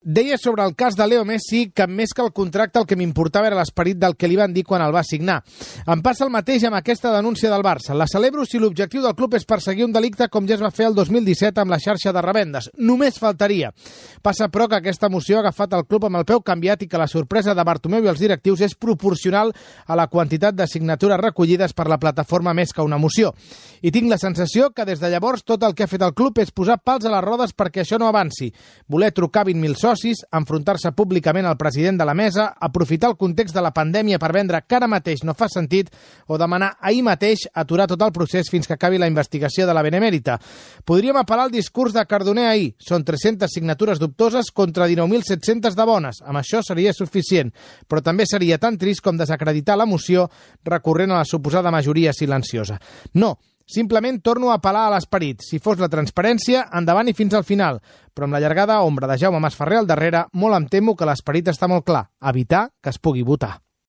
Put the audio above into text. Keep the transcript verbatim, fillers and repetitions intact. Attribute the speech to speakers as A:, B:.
A: Deia sobre el cas de Leo Messi que més que el contracte el que m'importava era l'esperit del que li van dir quan el va signar. Em passa el mateix amb aquesta denúncia del Barça. La celebro si l'objectiu del club és perseguir un delicte com ja es va fer el dos mil disset amb la xarxa de revendes. Només faltaria. Passa, però, que aquesta moció ha agafat el club amb el peu canviat i que la sorpresa de Bartomeu i els directius és proporcional a la quantitat de signatures recollides per la plataforma més que una moció. I tinc la sensació que des de llavors tot el que ha fet el club és posar pals a les rodes perquè això no avanci. Voler trucar vint mil socis, enfrontar-se públicament al president de la mesa, aprofitar el context de la pandèmia per vendre que ara mateix no fa sentit o demanar ahir mateix aturar tot el procés fins que acabi la investigació de la Benemèrita. Podríem apel·lar al discurs de Cardoner ahir. Són tres-centes signatures dubtoses contra dinou mil set-centes de bones. Amb això seria suficient, però també seria tan trist com desacreditar la moció recorrent a la suposada majoria silenciosa. No, simplement torno a apel·lar a l'esperit. Si fos la transparència, endavant i fins al final. Però amb la llargada ombra de Jaume Masferrer al darrere, molt em temo que l'esperit està molt clar: evitar que es pugui votar.